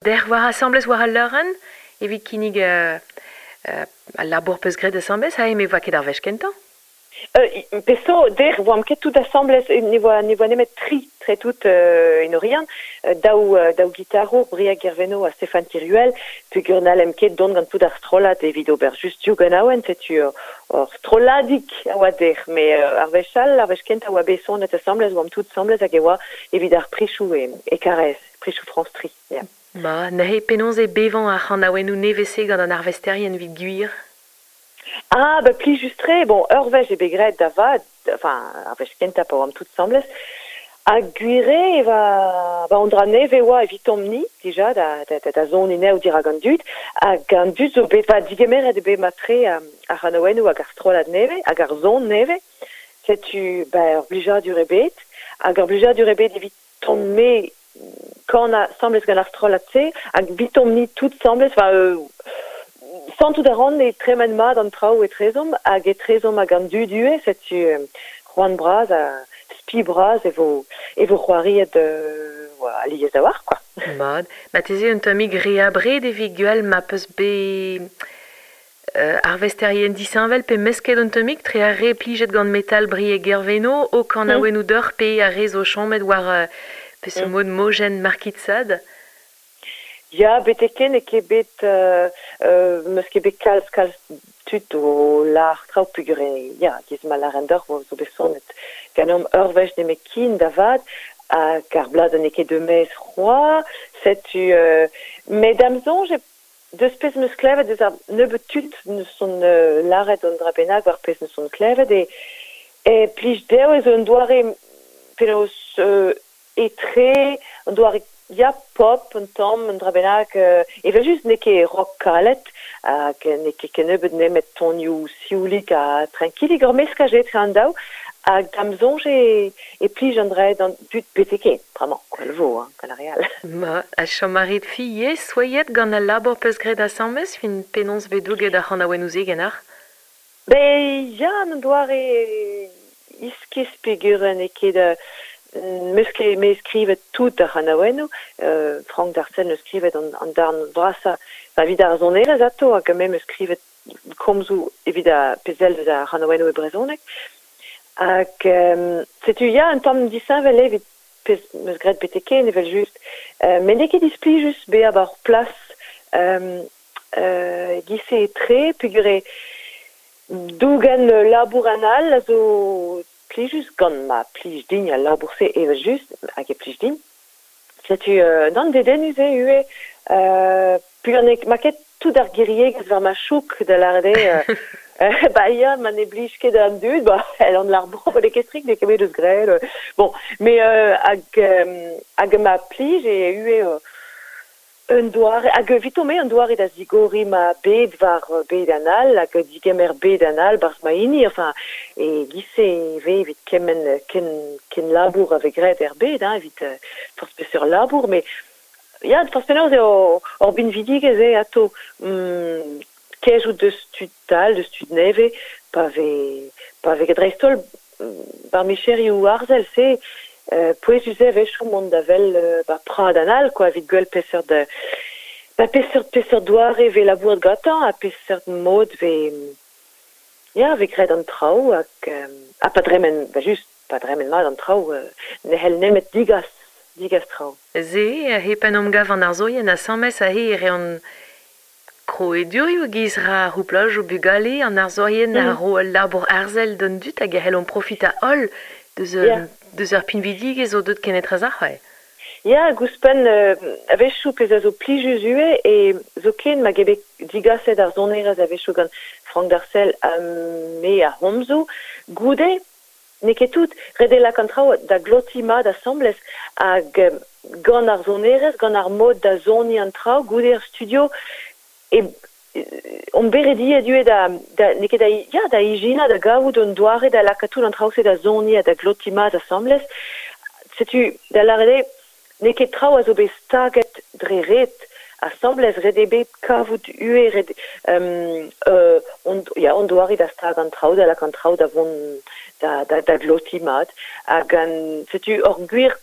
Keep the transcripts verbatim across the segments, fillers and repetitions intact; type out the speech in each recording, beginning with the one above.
Der war asambles war al leurenn, evit kinnig euh, euh, al labour peus graet asambles, ha eme voa ket ar wech kentañ. Euh, peso, der voam ket tout asambles, ne voa, ne voa nemet tri tre tout euh, en Oriant, daou, daou gitarour, Briag Gerveno ha Stéphane Tiruel, peogwir n'hallem ket dont gant tout ar strollad evit ober just div ganaouenn, setu ur strolladig a oa der, me euh, ar wech all, ar wech kentañ a oa bet sonet asambles, oamp tout asambles hag e oa evit ar prichoù e, e Karaez, prichoù France tri, ya. Ma, neuze penaos e bevañ ar c'hanaouennoù nevez-se gant an arvesterien evit gwir? Ah, ba plijus-tre, bon, ur wech eo bet graet da vat, enfin, ar wech kentañ pa oamp tout asambles, ha gwir eo e va, ba an dra nevez e oa evitomp-ni, dija, da, da, da, da soniñ anezho dirak an dud, hag an dud zo bet, va digemeret eo bet mat-tre ar c'hanaouennoù hag ar strollad nevez, hag ar son nevez, setu, ba, ur blijadur eo bet, hag ur blijadur eo bet eviton-me kanañ asambles gant ar strollad-se, hag evitomp-ni tout asambles, enfin, euh, santout a ran e tremen mat an traoù etrezomp, hag etrezomp hag an dud ivez, setu euh, c'hoant bras ha spi bras e vo, e vo c'hoariet euh, alies a-walc'h, quoi. Mat, marteze un tammig re abred evit gwell ma peus bet euh, arvesterien disheñvel pe mesket un tammig tre ar re plijet gant metal Brieg Gerveno o kanaouennoù deoc'h pe ar re zo chomet war euh, peseurt Mm. mod mojenn Marquis de Sade. Ya, betek-henn eo ket bet euh, euh, meus ket bet kalz kalz tud o lâr traoù peogwir ya, giz ma lâren deoc'h zo bet sonet ganeomp ur wech nemetken da vat, hag ar bladenn n'eo ket deut c'hoazh, setu euh, met da'm soñj deus pezh 'meus klevet deus ar nebeut tud neus son euh, lâret un dra bennak war pezh neus son klevet e e plij dezho ez un doare penaos euh, etre, un doare ya pop un tamm, un dra bennak euh, evel-just n'eo ket rock kalet hag n'eo ket kennebeut nemet tonioù sioulik ha trankilik ur meskaj etre an daou hag da'm soñj e, e plij an dra d'an dud betek-henn, bremañ, gwell vo, hein, gant ar re all. Ma, ha chom a rit fiez, souezhet gant al labour peus graet asambles, fin penaos vez douget ar c'hanaouennoù-se ganeoc'h? Ben ya, an doare iskis peogwir n'eo ket euh, meus ket me skrivet tout ar c'hanaouennoù, euh, Frank Darcel neus skrivet an, an darn vrasañ, enfin, evit ar sonerezh atao, hag me meus skrivet komzoù evit ar pezh deus ar c'hanaouennoù e brezhoneg. Hag euh, setu ya un tamm disheñvel evit pezh meus graet betek-henn evel-just. Euh, met n'eo ket displijus bezañ war plas euh, euh, giz-se etre, peogwir eo dougen labour an all a zo plijus gant ma plij din al labour-se evel-just, hag e plij din. Setu euh, nann dedennus eo ivez, euh, peogwir n'eo ma ket tout ar giriegezh war ma chouk da lâret eo, euh, ba ya, ma ne blij ket an dud, ba, el an lar bon, ba n'eo ket strikt, n'eo ket bet eus graet, euh, bon, mais euh, hag, euh, hag ma plij eo ivez euh, un doare, hag eviton-me un doare da zigoriñ ma bed war bed an all, hag digemer bed an all barzh ma hini, enfin, e giz-se e vez evit kement ken, ken labour a vez graet er bed, hein, evit euh, forzh peseurt labour, mais ya, forzh penaos eo ur binvidigezh eo atao, mm, kejout deus tud all, deus tud nevez, pa vez, pa vez dreist-holl bar micherioù arzel, se, euh, pouezus eo a-wechoù mont da wel euh, ba prad an all, quoi, evit gwell peseurt ba peseurt peseurt doare vez labouret gantañ, ha peseurt mod vez ya, vez graet an traoù, hag euh, ha pa dremen, ba just, pa dremen mat an traoù, euh, ne c'hell nemet digas, digas traoù. Se, hep en emgav an arzourien asambles aze e reont krouadurioù giz ra ar c'houplajoù bugale, an arzourien a Mm. ro ul labour arzel d'an dud hag a c'hellont profitañ holl deus, Ya. deus ur pinvidigezh o deut kenetrezoc'h, ouais. Ya, ouzhpenn euh, a-wechoù pezh a zo plijus ivez e zoken ma eo bet digaset ar sonerezh a-wechoù gant Frank Darcel ha me ar c'homzoù, goude n'eo ket tout, ret eo lakaat an traoù da glotiñ mat asambles hag gant ar sonerezh, gant ar mod da soniñ an traoù, goude ar studio, e on bet rediet ivez da, da n'eo ket da, ya, da ijinañ, da gavout un doare da lakaat tout an traoù-se da soniñ ha da glotiñ mat asambles. Setu, da lâret eo, n'eo ket traoù a zo bet staget dre ret asambles, ret eo bet kavout ivez, ret, euh, euh, on, ya, on doare da stag an traoù, da lakaat an traoù da vont da, da, da glotiñ mat. Hag an, setu ur gwir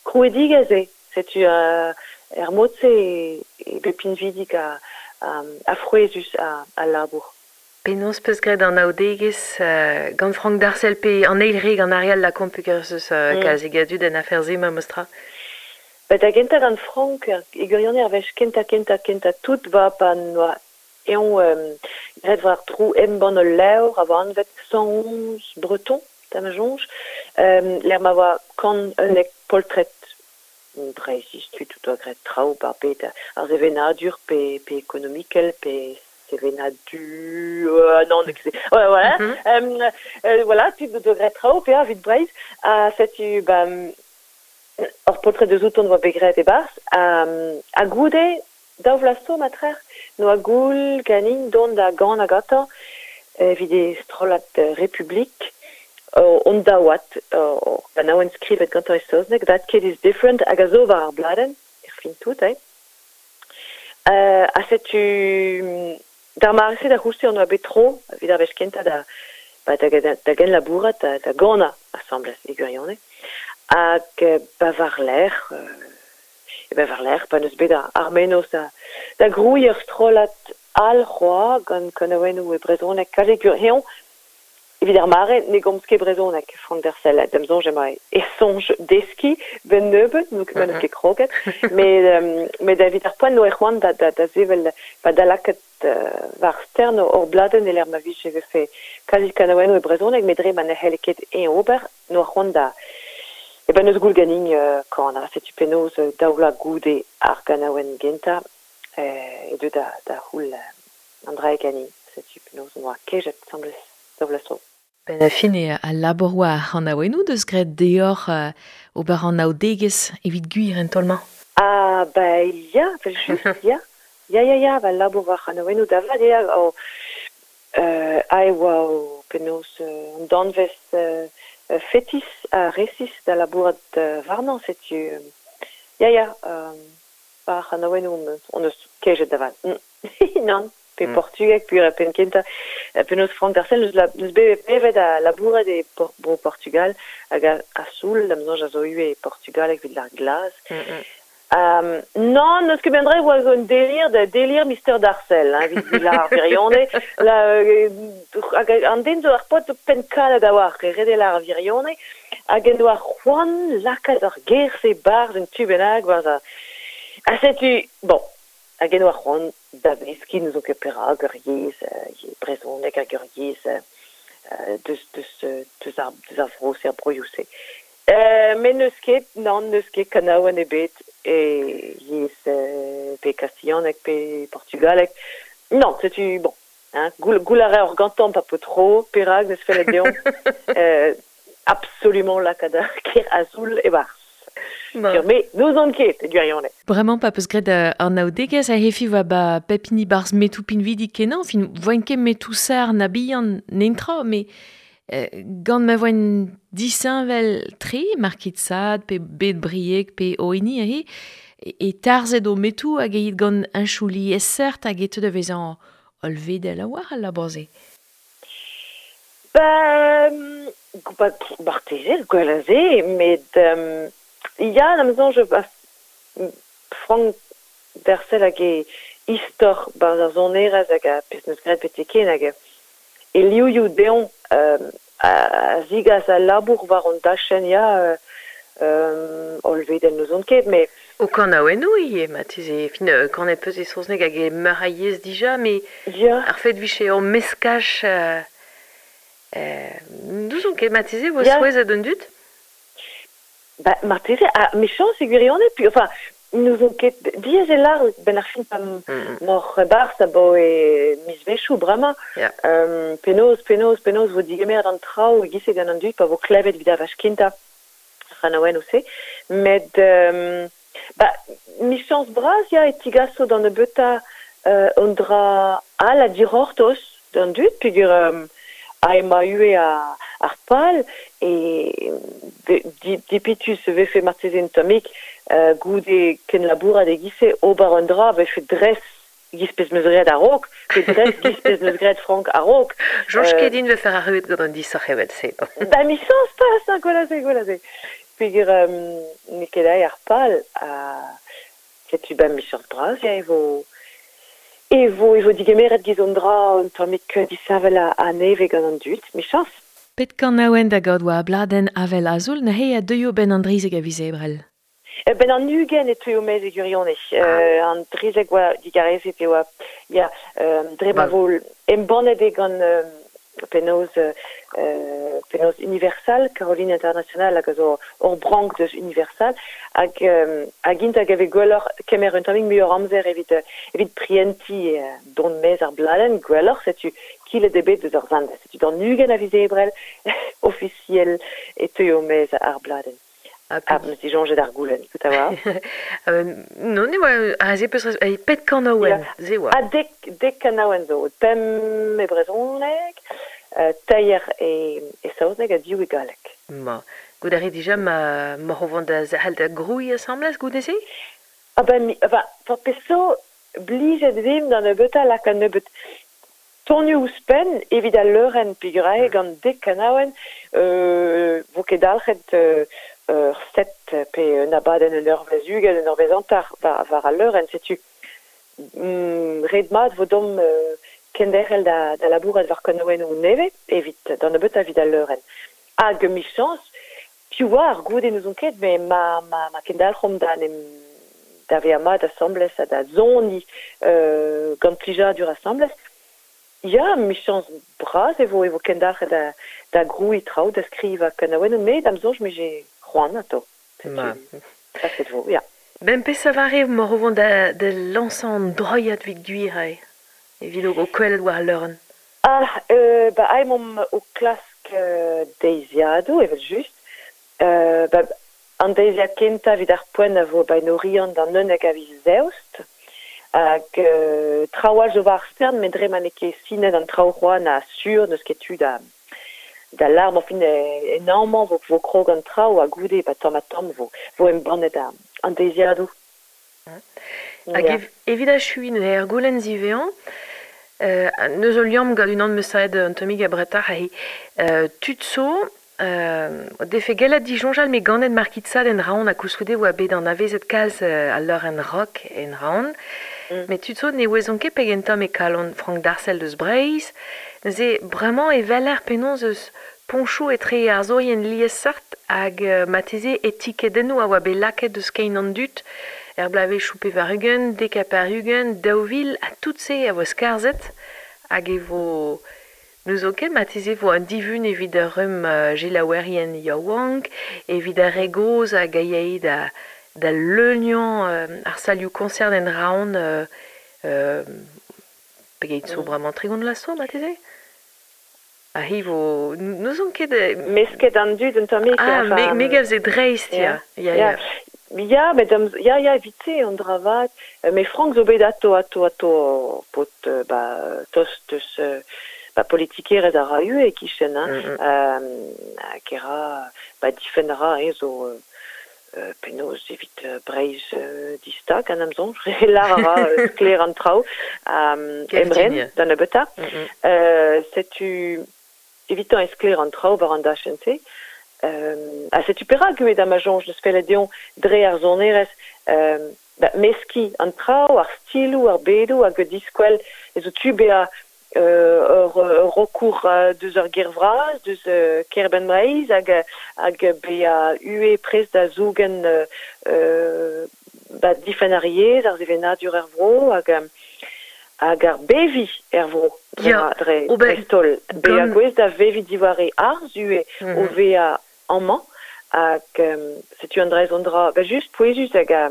krouidigezh eo. Setu euh, er mod-se e, e bet pinvidik a, a, a frouezhus a, a labour. Penaos peus graet an aodegezh euh, gant Frank Darcel pe an eil re gant Ariel Lacombe peogwir eus euh, mm. kalzik a dud en afer-se ma mostra. Ba da gentañ gant Frank, e gwirionez ar wech kentañ kentañ kentañ tout va pa noa eñ euh, graet war tro embann ul levr a oa anvet cent onze Breton, da ma soñj, euh, lec'h ma oa kant unnek poltred Breizhiz tud o doa graet traoù bar bet ar sevenadur pe, pe ekonomikel pe sevenadur euh, non ouais, voilà mm -hmm. euh, euh, voilà tud o doa graet traoù pe evit Breizh ha setu ba ur poltred deus outon oa bet graet e-barzh ha, ha goude daou vloaz zo matrer noa goul ganin dont da ganañ gantañ evit e strollad Republik on daouad ur ganaouenn skrivet gantañ e saozneg That Kid Is Different hag a zo war ar bladenn er fin tout eh euh, ha setu d'ar mare-se da c'houlz-se on oa bet tro evit ar wech kentañ da ba da, da, da genlabourat da, da ganañ asambles e gwirionez hag ba war-lerc'h e ba war-lerc'h pa n'eus bet ar mennozh da, da grouiñ ur strollad all c'hoazh gant kanaouennoù e brezhoneg kalzik gwir evit ar mare ne gomz ket brezhoneg Frank Darcel da'm soñj emañ e soñj deskiñ ben nebeut n'eo ket mm -hmm. ket kroget met um, met evit ar poent no e c'hoant da, da, da sevel ba da lakaat uh, war stern ur bladenn e lec'h ma vije vefe kalzik kanaouennoù e brezhoneg met dre ma ne c'helle ket eñ ober no c'hoant da e ben eus goul ganin uh, kanañ setu penaos daou vloaz goude ar ganaouenn gentañ e deu da, da c'houl uh, an dra ganin setu penaos on oa kejet asambles daou vloaz zo. Ben a fin e al labour war ar c'hanaouennoù deus graet deoc'h euh, ober an aodegezh evit gwir en taol-mañ. Ah, ba ya, just, ya. Ya, ya, ya, ba labour war ar c'hanaouennoù da vat eo o euh, a e oa o penaos euh, an danvez euh, fetis ha resis da labourat euh, warnañ setu euh, ya, ya, euh, war ar c'hanaouennoù on eus kejet da vat. Nann. Pe mm. portugeg, pur penn kentañ penaos Frank Darcel neus, la, neus bet bevet a labourat e por, bro Portugal hag a, a soul, da'm soñj a zo ivez e Portugal evit ar glaz. Mm -mm. Um, non, neus ket ben dre oa zo un delir, da delir Mister Darcel, hein, evit lar ar virionez. La, euh, hag an den zo ar pot zo penn kalet a-walc'h, e ret eo lar ar virionez, hag en doa c'hoant lakaat ar ger-se barzh un tu bennak, barzh a... Ha setu, bon, hag en doa c'hoant da veskiñ n'ouzon ket perak ur yezh, euh, brezhoneg hag ur yezh euh, deus, deus, deus ar, deus ar vro-se, ar broioù-se. Euh, met n'eus ket, nann, n'eus ket kanaouenn ebet e yezh euh, pe kastilhaneg pe portugaleg. Non, setu, bon, hein, goul, goul a reor gantañ pa po tro, perak n'eus fellet deomp euh, absolument lakaat ar ger azul e-barzh. Bon. Mais n'ouzon ket, e gwirionez. Bremañ pa peus graet an aodegezh a hefi oa ba pep hini barzh metoù pinvidik kenañ, fin voen ket metoù sar na bihan nentra, met euh, gant ma voen disheñvel tre, market sad, pe bet brieg, pe oeni ahe, e, e tarzhet o metoù hag eit gant un chouli esert hag e teu da vezañ hollvedel a-walc'h al labour-se. Ba, ba, marteze, gwell a se, met um, ya, da'm soñj ba, Frank Darcel hag e istor barzh ar sonerezh hag a pezh neus graet betek ken hag e livioù dezhañ euh, a zigas al labour war an dachenn ya euh, euh, hollvedel n'ouzon ket, met O kanaouennoù ivez, marteze, fin euh, kanet peus e saozneg hag e meur a yezh dija, met ya. Ar fet vije ur meskaj euh, euh, n'ouzon ket marteze vo Ya. souezhet an dud? Ba, marteze, ha mechañs e gwirionez, puis enfin, n'ouzon ket diaes eo lar ben ar fin pa Mm. moc'h barzh abaoe mizvezhioù bremañ. Ya. Um, penaos, penaos, penaos vo digemeret an traoù e-giz-se gant an dud pa vo klevet evit ar wech kentañ ar c'hanaouennoù-se. Met um, ba, michañs bras ya e tigaso d'an nebeutañ euh, un dra all a dic'hortoz d'an dud, peogwir um, a emañ ivez a, ar pal e di, dipitus vefe marteze un tammig euh, goude kenlabourat e-giz-se ober un dra vefe dres giz pezh meus graet a-raok, pe dres giz pezh meus graet Frank a-raok. Soñj Euh, ket din vefe arruet gant an disoc'h evel-se. Ba michañs pas, hein, gwell a se, gwell a se. Peogwir um, n'eo ket aet ar pal a Setu ben michans bras, ya, e vo... E vo, e vo digemeret giz an dra un tammig disheñvel a, a neve gant an dud, michans. Pet kanaouen da gaout oa bladenn Avel Azul, neuze a deuio ben an drizeg a viz Ebrel. E ben an ugent e teuio mez e gwirionez. Euh, an drizeg oa digarezet e oa, ya, euh, dre ma vo embannet eo gant euh, penaos, euh, penaos Universal, Caroline International hag a zo ur brank deus Universal, hag, euh, hag int hag ave gwelloc'h kemer un tammig muioc'h amzer evit, evit prienti euh, dont mez ar bladenn, gwelloc'h, setu kilet eo bet deus ar zandez. Setu d'an ugent a viz Ebrel, ofisiel e teuio mez ar bladenn. Ah, Ah, meus disoñjet ar goulenn, tout a war. euh, non, ne oa, aze peus res- pet kanaouen, ze oa. Ah, dek, dek kanaouen zo, pemp e brezhoneg, euh, teir e, e saozneg ha div e galleg. Ma, gout a rit dija ma, ma rovont da zahal da grouiñ asambles goude-se? Ah ben, mi, enfin, for peso blijet vim d'an nebeutañ lak an nebeut tonioù ouzhpenn evit al leurenn peogwir gant dek kanaouenn, euh, vo ket dalc'het euh, ur set pe un abadenn un eurvezh ugent, un eurvezh hanter war, war al leurenn, setu mm, ret mat vo dom euh, kenderc'hel da, da labourat war kanaouennoù nevez evit d'an nebeutañ evit al leurenn. Hag michans, piv oar goude n'ouzon ket, met ma, ma, ma kendalc'homp da en em da vezañ mat asambles ha da soniñ euh, gant plijadur asambles. Ya, michans bras e vo e vo kendalc'het da, da grouiñ traoù, da skrivañ kanaouennoù, met da'm soñj me j'ai c'hoant atao. Ma. Paset vo, ya. Ben pes a vare ma rovont da, da lañsañ an droiad evit gwir ae, evit o kwelet war al leurenn. Ah, euh, ba ae momp o klask euh, deiziadoù, evel just. Euh, ba, an deiziad kentañ evit ar poent a vo ba en Oriant d'an unnek a viz Eost. Hag euh, traoù all zo war ar stern, met dre ma n'eo ket sinet an traoù c'hoazh na sur, n'eus ket tu da, da larm, enfin, e, en amañ vo, vo krog an traoù ha goude, ba tamm ha tamm vo, vo embannet an, an deiziadoù. Hag Ya. ev, evit achuiñ neuze er goulenn ziwezhañ, euh, neus o liamm gant unan meus savet un tammig abretoc'h aze. Euh, tud zo, euh, defe gellet disoñjal me ganet Markizad en Raon ha koulskoude oa bet anavezet kalz euh, al leurenn rock en Raon. Mm. Met tud zo ne ouezont ket pegen tamm e kalon Frank Darcel deus Breizh. Neuze bremañ e weler penaos eus poñchoù etre arzourien liesseurt hag euh, marteze etikedennoù a oa bet lakaet deus kein an dud er bloavezhioù pevar-ugent, dek ha pevar-ugent, daou vil, ha tout se a vo skarzhet hag e vo n'eus ket marteze vo un divun evit ur rumm euh, gelaouerien yaouank, evit ar re gozh hag a yae da, da leuniañ euh, ar salioù concert en Raon euh, euh, pegeit zo Mm. bremañ tregont vloaz zo marteze? Ah, hi vo n'ouzon ket euh, Mesket an dud un tammig, Ah, enfin, me, me gav ze dreist, ya. Ya, ya. Ya. Ya, met am, ya, ya, evit-se an dra vat. Euh, met Frank zo bet ato, ato, ato, pot, euh, ba, tost eus, euh, ba, politikerez a ra ue e kichen, hein. Mm, mm. Euh, hag e ra, ba, difenn a ra, hein, zo, euh, euh, penaos evit euh, Breizh euh, distag an am soñj, lar a ra euh, sklaer an traoù, um, Kev emren, din, ya. d'an nebeutañ. Mm, mm. Euh, setu evitañ e sklaer an traoù war an dachenn-se. Euh, ha setu perak eo da ma soñj deus fellet deomp dre ar sonerezh, euh, ba, meskiñ an traoù, ar stiloù, ar bedoù, hag diskwel ez zo tu bezañ euh, ur, ur rokour euh, deus ur ger vras, deus euh, Kerbenn Breizh, hag, hag bezañ ue prest da zougen euh, euh, ba, difenn ar yezh, ar sevenadur er vro, hag, hag ar beviñ er vro, dre, Ya, dre, o ben, dreist-holl. Bezañ gant- gouest da veviñ diwar e arz ue Mhm. o vezañ amañ, hag euh, setu an dra an dra, ba just pouezus hag a,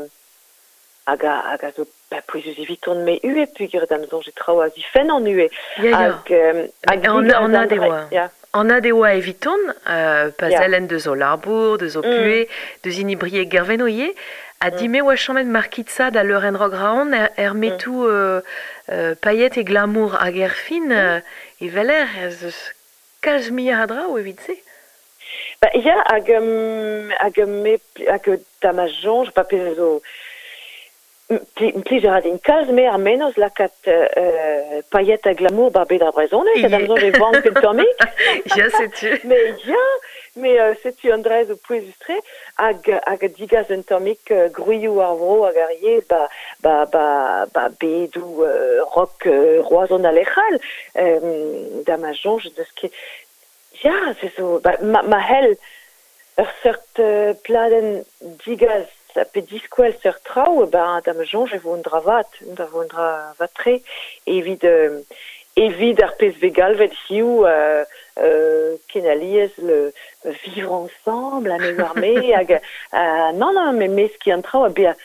hag a, hag a zo, ba, pouezus eviton me ue, peogwir da'm soñj e traoù a zifenn an ue. Ya, ya. Hag, euh, hag An, digas an an ad e dra- oa. Ya. An ad e oa eviton, euh, pa Ya. zellen deus o labour, deus o Mm. pue, deus hini Brieg Gerveno ivez, ha Mm. dime oa chomet Markizad da leurenn rock Raon er, er metoù euh, euh, paillet e glamour hag er fin, euh, e veler ez eus kalz muioc'h a draoù evit se. Ba, ya, hag, um, hag, me, hag da ma soñj, pa pezh zo pli, plij a ra din kalz me ar mennozh lakaat euh, paillet ha glamour bar bed ar brezhoneg, ha da'm soñj e vank un tammig. Ya, setu. Mais ya, Mais euh, setu an dra zo pouezus-tre hag, hag digaz un tammig euh, gwrioù ar vro hag ar yezh ba, ba, ba, ba bedoù euh, rock euh, Roazhon a lec'hal. Euh, da ma soñj deus ket... Ya, se zo... Ba, ma, ma hell ur seurt euh, pladenn digaz pe diskwel seurt traoù, ba, da ma soñj e vo un dra vat, da vo un dra vat-tre, evit, euh, evit ar pezh vez galvet hiziv euh, euh, ken alies le vivre ensemble, a me war me, hag, euh, non, non, mais meskiñ an traoù, ha bezañ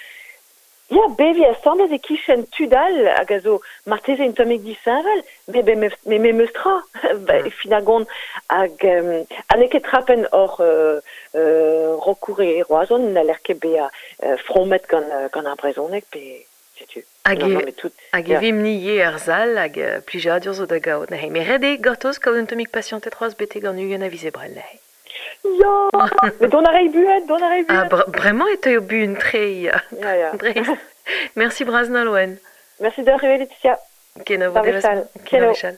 Ya, beviñ asambles e-kichen tud all hag a zo marteze un tammig disheñvel, me be me me memes tra, ba, Mm. fin ar gont hag euh, ha n'eo ket trapen hor euh, euh, rockour e Roazhon n'haller ket bezañ euh, fromet gant, euh, gant ar brezhoneg pe setu. Hag Non, e, non, mais tout, hag e ya. vimp ni ivez er sal hag euh, plijadur zo da gaout neuze. Met ret eo gortoz kaout un tammig pasianted c'hoazh betek an ugent a viz Ebrel neuze. Ya, met dont a ray buan, dont a ray Ah, buan. br bremañ e teuio buan-tre, ya. Ya, ya. Dreist. Merci bras Nolwenn. Merci deoc'h ivez, Laetitia. Kenavo Bar devezh. wechall. Kenavo Kenavo. wechall.